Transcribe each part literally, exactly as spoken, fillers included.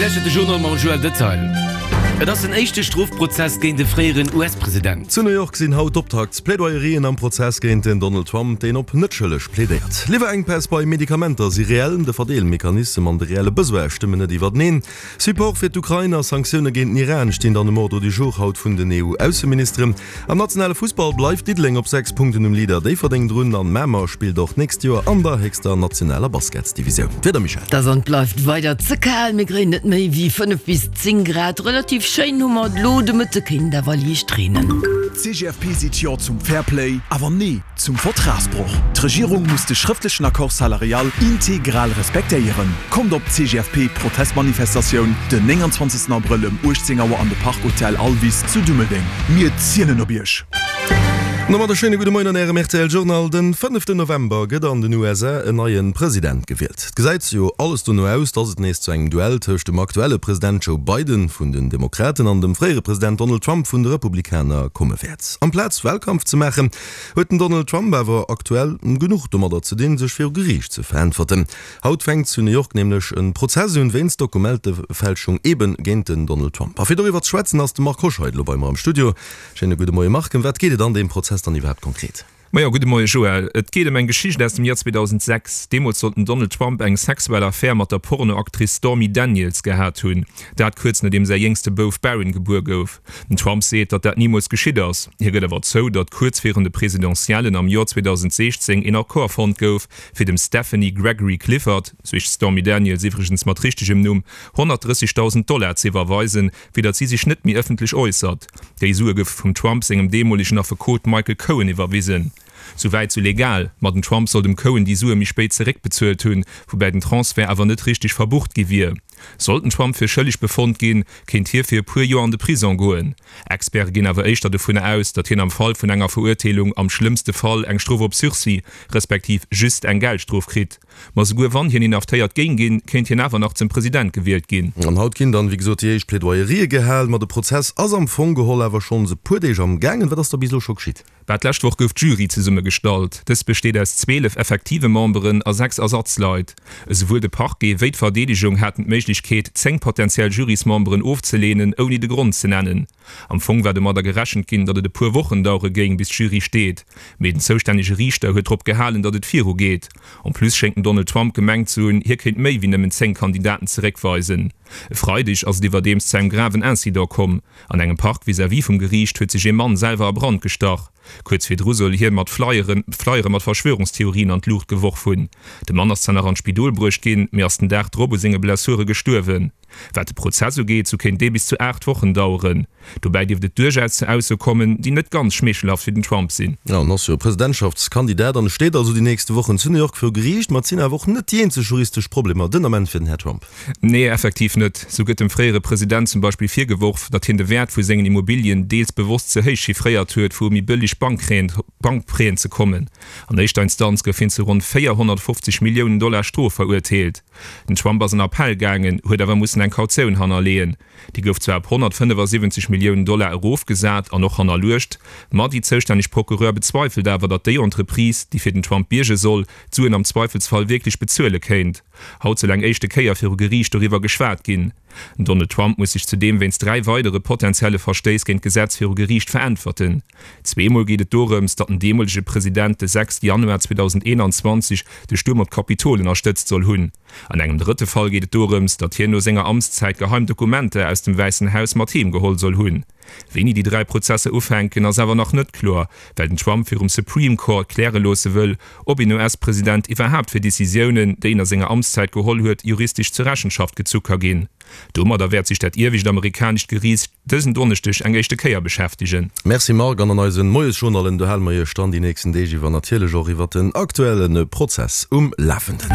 Dir lauschtert de Journal mam Joël Detail. Et ass den éischte Strofprozess géint de fréieren U S-President. Zu New York sinn haut d'Optaktsplädoyerien am Prozess géint den Donald Trump, deen op net schëlleg plädéiert. Liwwerenkpäss bei Medikamenter si reell, de Verdeelmechanismus an de reelle Besoin stëmmen net iwwerteneen. Support fir d'Ukrain a Sanktioune géint den Iran stinn dann um Ordre du jour haut vun den E U-Ausseministeren. Am nationale Fussball bleift Diddeleng op sechs Punkten um Leader Déifferdeng drun an Mamer spillt och d'nächst Joer an der héchster nationaler Basketsdivisioun. Wieder, Michèle? Dat an bleift weider ze kal, mir kréien net méi wéi fënnef bis zéng Grad. Relativ schéin hu mer elo de Mëtte, kéint awer liicht reenen. C G F P seet Jo zum Fairplay, awer Nee zum Vertragsbroch. D'Regierung muss de schrëftlechen Accord salarial integral respektéieren. Kommt op C G F P Protestmanifestatioun den nénganzwanzegsten Abrëll ëm uechtzéng Auer an de Park Hotel Alvis zu Dummeldeng. Mir zielen op Iech. Domat e schéine gudde Moien an Ärem R T L Journal. Den fënneften November gëtt an den U S A en neie President gewielt. Et gesäit jo alles dono aus, dass et nees zu engem Duell tëscht dem aktuelle President Joe Biden vun den Demokraten an dem fréiere President Donald Trump vun de Republikaner komme wäert. Amplaz Walkampf ze maachen, huet den Donald Trump awer aktuell genuch domadder ze dinn, sech viru Geriicht ze veräntwerten. Haut fänkt zu New York nämlech e Prozess un wéinst Dokumentefälschung eben géint den Donald Trump. A fir doriwwer ze schwätzen ass de Marc Hoscheid elo bei mer am Studio. Schéine gudde Moie Marc, ëm wat geet et an deem Prozess dann iwwerhaapt konkret? Majo, gudde Moie Joël. Et geet ëm eng Geschicht aus dem Joer zweedausendsechs. Deemools soll den Donald Trump eng sexuell Affär mat der Pornoactrice Stormy Daniels gehat hunn. Dat kuerz nodeem säi jéngste Bouf Barron gebuer gouf. Den Trump seet, datt dat nimools geschitt ass. Hie gëtt awer zou, datt kuerz virun de Presidentiellen am Joer zweedausendsiechzéng een Accord fonnt gouf, fir dem Stephanie Gregory Clifford, sou heescht d'Stormy Daniels iwwregens mat richtegem Numm, honnertdrëssigdausend Dollar ze iwwerweisen, fir datt si sech net méi ëffentlech äussert. Déi Sue goufe vum Trump sengem deemolegen Affekot Michael Cohen iwwerwisen. Souwäit sou legal, ma den Trump soll dem Cohen déi Sue méi spéit zeréckbezuelt hunn, woubäi den Transfert awer net richteg verbucht gi wier. Sollt den Trump fir schëlleg befonnt ginn, kéint hie fir e puer Joer an de Prisong goen. Experte ginn awer éischter dovun aus, datt hien am Fall vun enger Verurteelung am schlëmmste Fall eng Strof op Sursis, respektiv just eng Geldstrof kritt. Ma souguer wann hien inhaftéiert géing ginn, kéint hien awer nach zum President gewielt ginn. An haut ginn dann, wéi gesot, déi éischt Plädoyerië gehalen, ma de Prozess ass am Fong geholl awer schonns e puer Deeg am gaangen. Wat ass da bis elo scho geschitt? Bah, d'lescht Woch gouf d'Jury zesummegestallt. Dës besteet aus zwielef effektive Memberen a sechs Ersatzleit. Esouwuel de Parquet wéi d'Verdeedegung haten d'Méiglechkeet, zéng potentiell Jurysmemberen ofzeleenen, ouni de Grond ze nennen. Am Fong war domadder gerechent ginn, datt et e puer Wochen dauere géing, bis d'Jury steet. Mee den zoustännege Riichter huet drop gehalen, datt et virugeet. En plus schéngt den Donald Trump gemengt ze hunn, hie kéint méi wéi nëmmen zéng Kandidaten zeréckweisen. E Freideg ass et iwwerdeems zu engem graven Incident komm. An engem Park vis-à-vis vum Geriicht huet sech ee Mann selwer a Brand gestach. Kuerz virdru soll hie mat Flyeren, Flyere mat Verschwörungstheorien an d'Luucht geworf hunn. De Mann ass zwar nach an d'Spidol bruecht ginn, mee ass den Dag drop u senge Blessure gestuerwen. Wat de Prozess ugeet, sou kéint dee bis zu aacht Wochen daueren. Dobäi dierft et duerchaus zu Aussoe kommen, déi net ganz schmeechelhaft fir den Trump sinn. Jo, en ass jo Presidentschaftskandidat an steet also déi nächste Wochen zu New York viru Geriicht. Ma et sinn awer och net déi eenzeg juristesch Problemer den Ament fir den Här Trump. Nee, effektiv net. Sou gëtt dem fréiere President zum Beispill virgeworf, datt hien de Wäert vu sengen Immobilien deels bewosst ze héich chiffréiert huet, fir u méi bëlleg Bankprêten ze kommen. An éischter Instanz gouf hien zu ronn véierhonnertfofzeg Milliounen Dollar Strof verurteelt. Den Trump ass an Appell gaangen, huet awer mussen eng Kautioun hannerleeën. Déi gouf zwar op honnertfënnefasiwwenzeg Milliounen Dollar erofgesat an och hannerluecht, ma déi zoustänneg Procureur bezweifelt awer, datt déi Entreprise, déi fir den Trump bierge soll, d'Suen am Zweifelsfall wierklech bezuele kéint. Haut soll eng éischte Kéier viru Geriicht doriwwer geschwat ginn. Den Donald Trump muss sech zudeem wéinst dräi weidere potentielle Verstéiss géint d'Gesetz viru Geriicht veräntwerten. Zweemol geet et dorëms, datt den deemolege President de sechste Januar zweedausendeenanzwanzeg de Stuerm op d'Kapitol ënnerstëtzt soll hunn. An engem drëtte Fall geet et dorëms, datt hien no senger Amtszäit geheim Dokumenter aus dem Wäissen Haus mat heem geholl soll hunn. Wéini déi dräi Prozesser ufänken, ass awer nach net kloer, well den Trump virum Supreme Court kläre loosse wëll, ob een U S-President iwwerhaapt fir Decisiounen, déi en a senger Amtszäit geholl huet, juristesch zur Rechenschaft gezu ka ginn. Domadder wäert sech dat iewescht amerikanescht Geriicht dësen Donneschdeg eng éischte Kéier beschäftegen. Merci Marc, an an eisen Moiesjournalen do hale mer Iech dann déi nächsten Deeg iwwer natierlech och iwwer den aktuelle Prozess um Lafenden.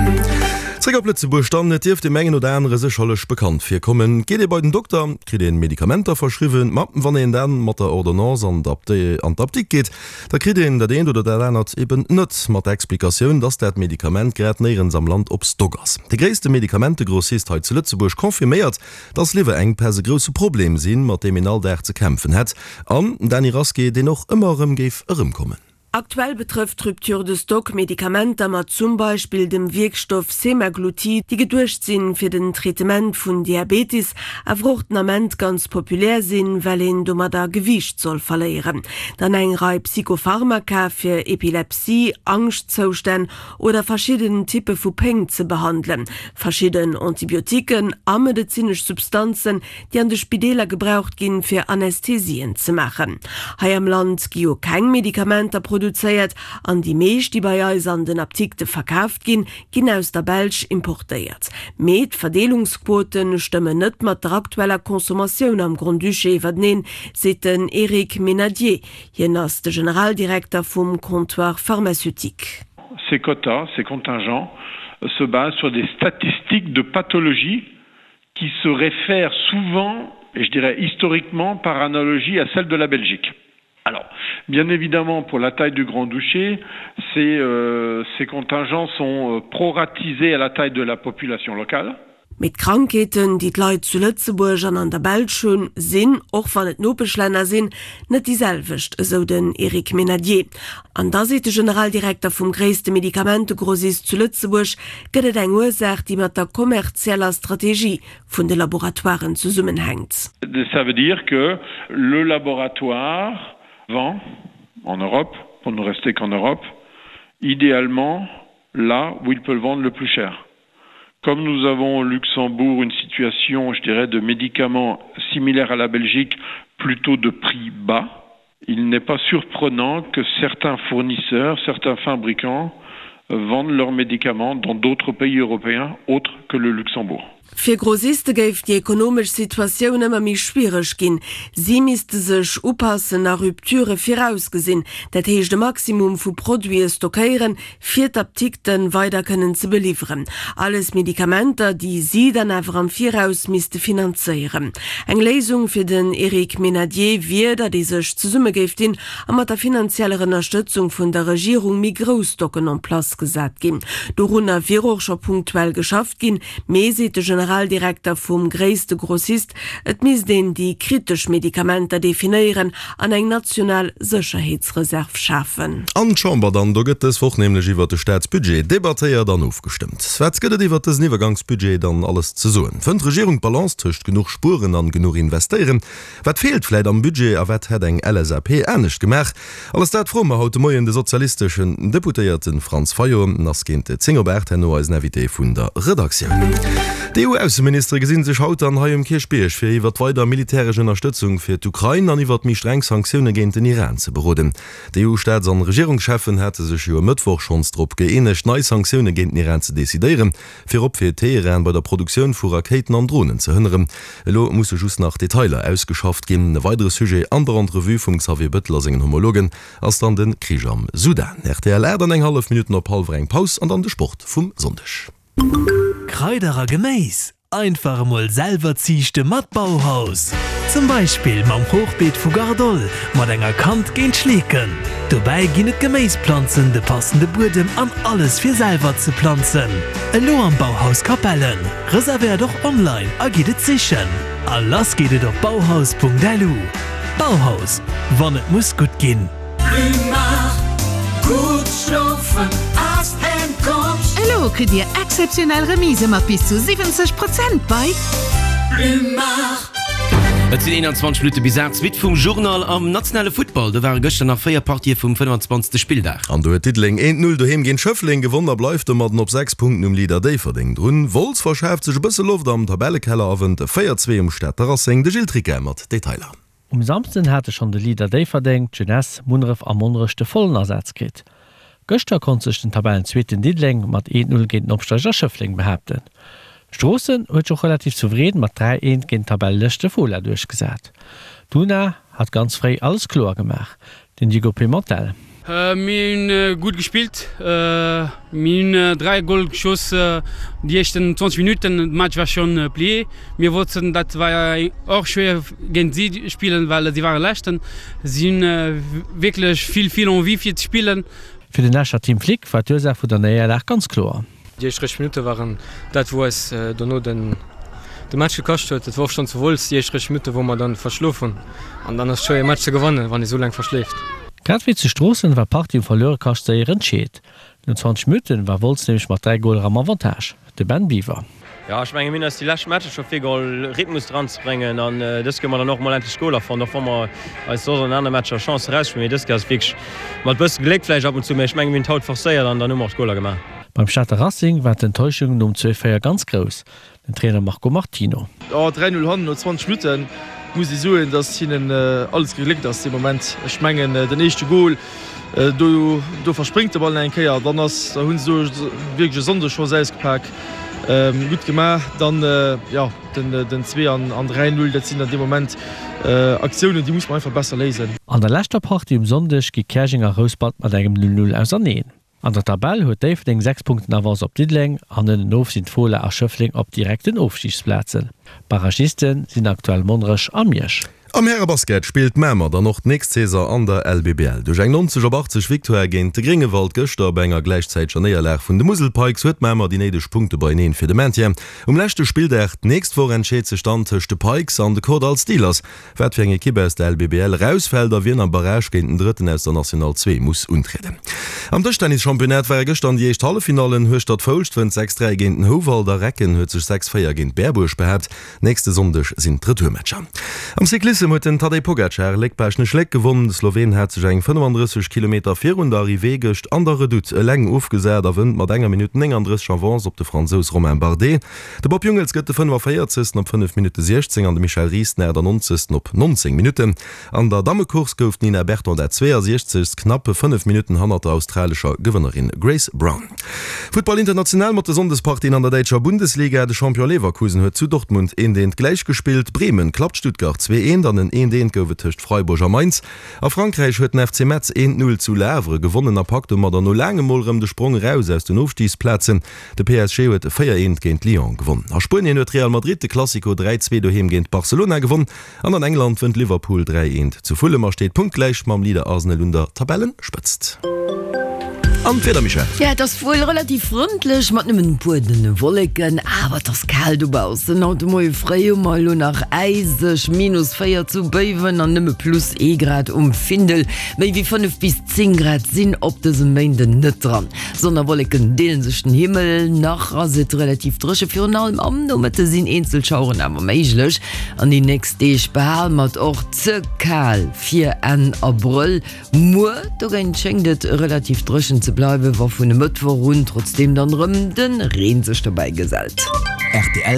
Zréck op Lëtzebuerg dann, Et dierft deem engen oder anere sécherlech bekannt virkommen. Geet ee bei den Dokter, kritt ee Medikamenter verschriwwen, ma wann een dann mat der Ordonnance an d'Apdikt geet, da kritt een dat eent oder dat anert eben net, mat der Explikatioun, dass dat Medikament grad néierens am Land op Stock ass. De gréisste Medikamentegrossist hei zu Lëtzebuerg confirméiert, dass Liwwerenkpäss e grousse Problem sinn, mat deem een all Dag ze kämpfen hätt an, Dany Rasqué, deen och ëmmer erëm géif erëmkommen. Aktuell betrëfft d'Rupture de stock Medikamenter mat zum Beispill dem Wierkstoff Semaglutid, déi geduecht sinn, fir den Traitement vun Diabetes, awer och den Ament ganz populär sinn, well een domadder Gewiicht soll verléieren. Dann eng Rei Psychopharmaka fir Epilepsie, Angschtzoustänn oder verschidden Typpe vu Péng ze behandelen, verschidden Antibiotiquen a medezinesch Substanzen, déi an de Spideeler gebraucht ginn, fir Anästhesien ze maachen. Hei am Land gi jo keng Medikamenter produzéiert an déi meescht, déi bei eis an den Apdikte verkaaft ginn, ginn aus der Belsch importéiert. Mee d'Verdeelungsquote stëmmen net mat der aktueller Consommatioun am Grand-Duché iwwerteneen, seet den Eric Menadier. Hien ass de Generaldirekter vum Comptoir pharmaceutique. Ces quotas, ces contingents se basent sur des statistiques de pathologies qui se réfèrent souvent, et je dirais historiquement, par analogie à celle de la Belgique. Alors, bien évidemment, pour la taille du Grand-Duché, ces, euh, ces contingents sont euh, proratisés à la taille de la population locale. Mee d'Krankheeten, déi d'Leit zu Lëtzebuerg an an der Belsch hunn, sinn, och wann et Nopeschlänner sinn, net déi selwecht, esou den Eric Menadier. An da seet de Generaldirekter vum gréisste Medikamentegrossist zu Lëtzebuerg, gëtt et eng Ursaach, déi mat der kommerzieller Strategie vun de Laboratoiren zesummenhänkt. Ça veut dire que le laboratoire vend en Europe, pour ne rester qu'en Europe, idéalement là où il peut le vendre le plus cher. Comme nous avons au Luxembourg une situation, je dirais, de médicaments similaires à la Belgique, plutôt de prix bas, il n'est pas surprenant que certains fournisseurs, certains fabricants vendent leurs médicaments dans d'autres pays européens autres que le Luxembourg. Fir Grossiste géif déi ekonomesch Situatioun ëmmer méi schwiereg ginn. Si misste sech upassen a Rupturë virausgesinn, dat heescht e Maximum vu Produite stockéieren, fir d'Apdikte weider kënnen ze beliwweren. Alles Medikamenter, déi si dann awer am Viraus misste finanzéieren. Eng Léisung fir den Eric Menadier wier, datt ee sech zesumme géif dinn a mat der finanzieller Ënnerstëtzung vun der Regierung méi grouss Stocken en place gesat ginn. Dorunner wier och scho punktuell geschafft ginn, mee, seet de Generaldirekter vum gréisste Grossist, et misst een déi kritesch Medikamenter definéieren an eng national Sécherheetsreserv schafen. An d'Chamber dann, do gëtt dës Woch nämlech iwwert de Staatsbudget debattéiert an ofgestëmmt. Wat gëtt et iwwert dësen Iwwergangsbudget dann alles ze soen? Fënnt d'Regierung d'Balance tëscht genuch spueren an genuch investéieren? Wat feelt vläit am Budget a wat hätt eng LSAP anescht gemaach? Alles dat froe mer haut de Moien de sozialisteschen Deputéierte Franz Fayot. En ass géint zéng op aacht herno eisen Invité vun der Redaktioun. D'EU-Ausseministere gesinn sech haut dann hei um Kierchbierg, fir iwwert weider militäresch Ënnerstëtzung fir d'Ukrain an iwwert méi streng Sanktioune géint den Iran ze beroden. D'EU-Staats an Regierungscheffen hate sech jo e Mëttwoch schonns drop gëeenegt, nei Sanktioune géint den Iran ze decidéieren, virop fir Teheran bei der Produktioun vu Rakéiten an Dronen ze hënneren. Elo musse just nach Detailer ausgeschafft ginn. E weidere Sujet an der Entrevue vum Xavier Bettel a sengen Homologen ass dann de Krich am Sudan. Rtl Aacht an eng hallef Minutten op hallwer eng Paus an dann de Sport vum Sonndeg. Kraider a Geméis einfach emol selwer ziichte mat Bauhaus! Zum Beispill mam Hochbeet vu Gardol mat enger Kant géint Schleeken. Dobäi ginn et Geméisplanzen, de passende Buedem an alles fir selwer ze planzen. Elo am Bauhaus Capellen. Reservéiert och online a gitt et sichen. A lass geet et op bauhaus.lu. Bauhaus, wann et muss gutt ginn. Elo kritt Dir exzeptionell Remisë mat bis zu siwwenzeg Prozent bei Plumar. Et sinn eenanzwanzeg Minutte bis aacht, d'Suite vum Journal am nationale Futtball. Do ware gëschter nach véier Partië vum fënnfanzwanzegste Spilldag. An do huet Diddeleng eent Null doheem géint Schëffleng gewonn a bleift domadden op sechs Punkten um Leader Déifferdeng drun. Wolz verschaaft sech e bësse Loft am Tabellekeller a wënnt véier zwee um Stater Racing. De Gilles Tricquet mat Detailer. Um Samsden hate schonn de Leader Déifferdeng, d'Jeunesse, Munneref a Monnerech de vollen Asaz kritt. Gëschter konnt sech den Tabellenzweeten Diddeleng mat eent Null géint den Opsteiger Schëffleng behaapten. Stroossen huet sech och relativ souverän mat dräi eent géint den Tabelleleschte Fola duerchgesat. D'Una hat ganz fréi alles kloer gemaach, den Diego Pimentel. Mir hunn gutt gespillt. Mir hunn dräi Goal geschoss déi éischten zwanzeg Minutten. De Match war schonn plié. Mir wossten, dat war och schwéier géint si spillen, well si ware Leschten. Si hunn wierklech vill, vill Envie fir ze spillen. Fir den Escher Tim Flick war d'Ursaach vun der Néierlag ganz kloer. Déi éischt dräisseg Minutte waren dat, wou eis dono den de Match gekascht huet. Et war och schonn zu Wolz déi éischt dräisseg Minutte, wou mer dann verschlof hunn. An dann ass et schwéier e Match ze gewannen, wann ee sou laang verschléift. Grad wéi zu Stroossen war d'Partie um Verluerekascht séier entscheet. No zwanzeg Minutten war Wolz nämlech mat dräi Goler am Avantage. De Ben Biwer. Jo, ech menge mir hunn eis déi lescht Matcher scho virgeholl Rhythmus dran ze bréngen an dës Kéier hu mer dann och mol endlech Goler fonnt, och wa mer eis soss an anere Matcher Chancen erausspillen. Mee dës Kéier ass et wierklech mat bësse Gléck vläicht ab und zu, mee ech menge mir hunn et haut forcéiert an dann hu mer och d'Goler gemaach. Beim Stater Racing war d'Enttäuschung nom zwee véier ganz grouss. Den Trainer Marco Martino. Jo, dräi Null hannen no zwanzeg Minutten, muss ee soen, datt hinnen alles gegléckt ass dee Moment. Ech mengen den éischte Gol, do do verspréngt de Ball nach eng Kéier, dann ass, da hu se do wierklech e Sonndeschoss ausgepak, gutt gemaach. Dann, jo, den den zwee an an dräi Null, dat sinn dann dee Moment Aktiounen, déi muss mer einfach besser léisen. An der leschter Partie um Sonndeg gi Käerjeng a Rouspert mat engem Null Null auserneen. An der Tabell huet Déifferdeng sechs Punkten Avance op Diddeleng an ënnenof sinn d'Fola a Schëffleng op direkten Ofstigsplazen. Barragiste sinn aktuell Monnerech a Miersch. Am Härebasket spillt Mamer dann och d'nächst Saison an der L B B L. Duerch eng neunzeg op achtzeg Victoire géint de Gréngewald gëschter bei enger gläichzäiteger Néierlag vun de Musel Pikes huet Mamer déi néideg Punkte beieneen fir de Maintien. Um leschte Spilldag d'nächst Woch entscheet sech dann tëscht de Pikes an de Kordall Steelers, wat fir eng Ekipp aus der L B B L erausfält a wien am Barrage géint den Drëtten aus der National zwee muss untrieden. Am Dëschtennis-Championnat ware gëschter déi éischt Halleffinallen, Hueschtert-Foulscht wënnt sechs dräi géint den Houwald a Recken huet sech sechs véier géint Berbuerg behaapt. Nächste Sonndeg sinn d'Retourmatcher. Am Cyclissem huet den Tadej Pogacar Léck-Baaschtnech-Léck gewonn. De Sloween hat sech eng fënnefandrësseg Kilometer virun der Arrivée gëscht an der Redoute eleng ofgesat a wënnt mat enger Minutt néngandrësseg Avance op de Fransous Romain Bardet. De Bob Jungels gëtt de fënnefavéierzegsten op fënnef Minutte siechzéng an de Michel Ries den aachtannonzegsten op nonzéng Minutten. An der Dammecourse gouf d'Nina Berton dat zweeasiechzegst, knapp fënnef Minutten hannert der australescher Gewënnerin Grace Brown. Futtball international mat de Sonndespartien an der däitscher Bundesliga, De Champion Leverkusen huet zu Dortmund eent eent gläichgespillt, Bremen klappt Stuttgart zwee eent an en eent eent gouf et tëscht Freiburg a Mainz. A Frankräich huet den F C Metz eent Null zu Le Havre gewonnen a packt domadder no laangem mol erëm de Sprong eraus aus den Ofstigsplazen. De P S G huet véier eent géint Lyon gewonn. A Spuenien huet Real Madrid de Clasico dräi zwee doheem géint Barcelona gewonn an an England wënnt Liverpool dräi eent zu Fulham a steet punktgläich mam Leader Arsenal un der Tabellenspëtzt. An d'Wieder, Michèle? Ja, et ass wuel relativ frëndlech mat nëmmen e puer dënne Wolleken, awer et ass kal dobaussen. Haut de Moie fréi hu mer elo nach äiseg minus véier zu Béiwen an nëmme plus ee Grad um Findel. Méi wéi fënnef bis zéng Grad sinn op dësem Méinden net dran. Sonn a Wolleken deele sech den Himmel, nach ass et relativ dréche, virun allem am Nomëtte sinn eenzel Schaueren awer méiglech. An déi nächst Deeg behale mer et och ze kal fir Enn Abrëll. Muer dogéint schéngt et relativ dréchen ze bleiwen, wa vun e Mëttwoch un trotzdeem dann erëm de Reen sech dobäi gesellt. Rtl.